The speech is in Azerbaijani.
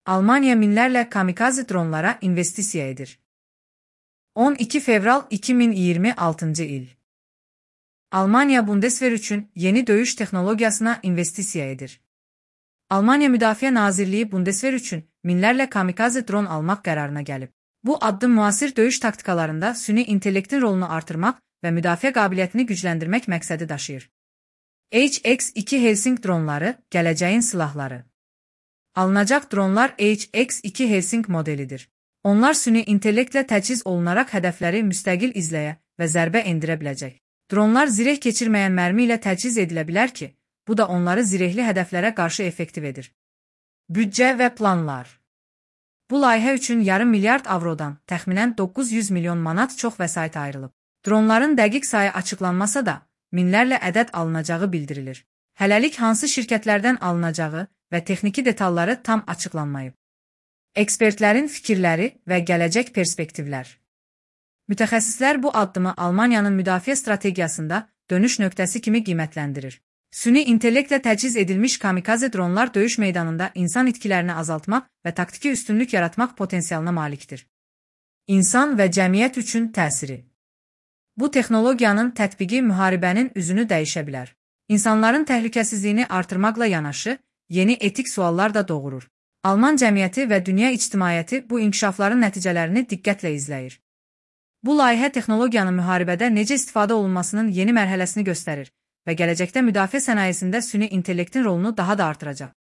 Almanya minlərlə kamikaze dronlara investisiya edir. 12 fevral 2026 il. Almanya Bundeswehr üçün yeni döyüş texnologiyasına investisiya edir. Almanya Müdafiə Nazirliyi Bundeswehr üçün minlərlə kamikaze dron almaq qərarına gəlib. Bu addım müasir döyüş taktikalarında süni intellektin rolunu artırmaq və müdafiə qabiliyyətini gücləndirmək məqsədi daşıyır. HX-2 Helsing dronları gələcəyin silahları. Alınacaq dronlar HX-2 Helsing modelidir. Onlar süni intellektlə təchiz olunaraq hədəfləri müstəqil izləyə və zərbə endirə biləcək. Dronlar zireh keçirməyən mərmi ilə təchiz edilə bilər ki, bu da onları zirehli hədəflərə qarşı effektiv edir. Büdcə və planlar. Bu layihə üçün yarım milyard avrodan təxminən 900 milyon manat çox vəsait ayrılıb. Dronların dəqiq sayı açıqlanmasa da, minlərlə ədəd alınacağı bildirilir. Hələlik hansı şirkətlərdən alınacağı və texniki detalları tam açıqlanmayıb. Ekspertlərin fikirləri və gələcək perspektivlər. Mütəxəssislər bu addımı Almaniyanın müdafiə strategiyasında dönüş nöqtəsi kimi qiymətləndirir. Süni intellektlə təchiz edilmiş kamikaze dronlar döyüş meydanında insan itkilərini azaltmaq və taktiki üstünlük yaratmaq potensialına malikdir. İnsan və cəmiyyət üçün təsiri. Bu texnologiyanın tətbiqi müharibənin üzünü dəyişə bilər. İnsanların təhlükəsizliyini artırmaqla yanaşı, yeni etik suallar da doğurur. Alman cəmiyyəti və dünya ictimaiyyəti bu inkişafların nəticələrini diqqətlə izləyir. Bu layihə texnologiyanın müharibədə necə istifadə olunmasının yeni mərhələsini göstərir və gələcəkdə müdafiə sənayesində süni intellektin rolunu daha da artıracaq.